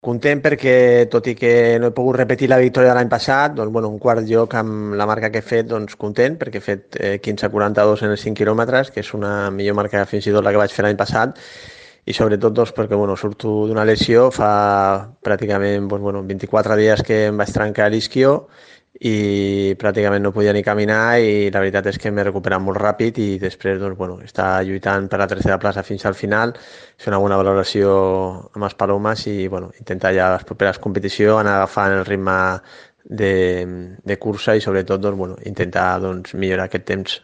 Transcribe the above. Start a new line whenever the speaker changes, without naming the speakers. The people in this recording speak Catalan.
Content perquè, tot i que no he pogut repetir la victòria de l'any passat, doncs, bueno, un quart lloc amb la marca que he fet, doncs content, perquè he fet 15:42 en els 5 quilòmetres, que és una millor marca fins i tot la que vaig fer l'any passat, i sobretot doncs, perquè bueno, surto d'una lesió, fa pràcticament doncs, bueno, 24 dies que em vaig trencar l'isquio i pràcticament no podia ni caminar i la veritat és que m'he recuperat molt ràpid i després doncs, bueno, està lluitant per la tercera plaça fins al final, fer una bona valoració amb els palomes i bueno, intentar ja les properes competicions anar agafant el ritme de cursa i sobretot doncs, bueno, intentar doncs, millorar aquest temps.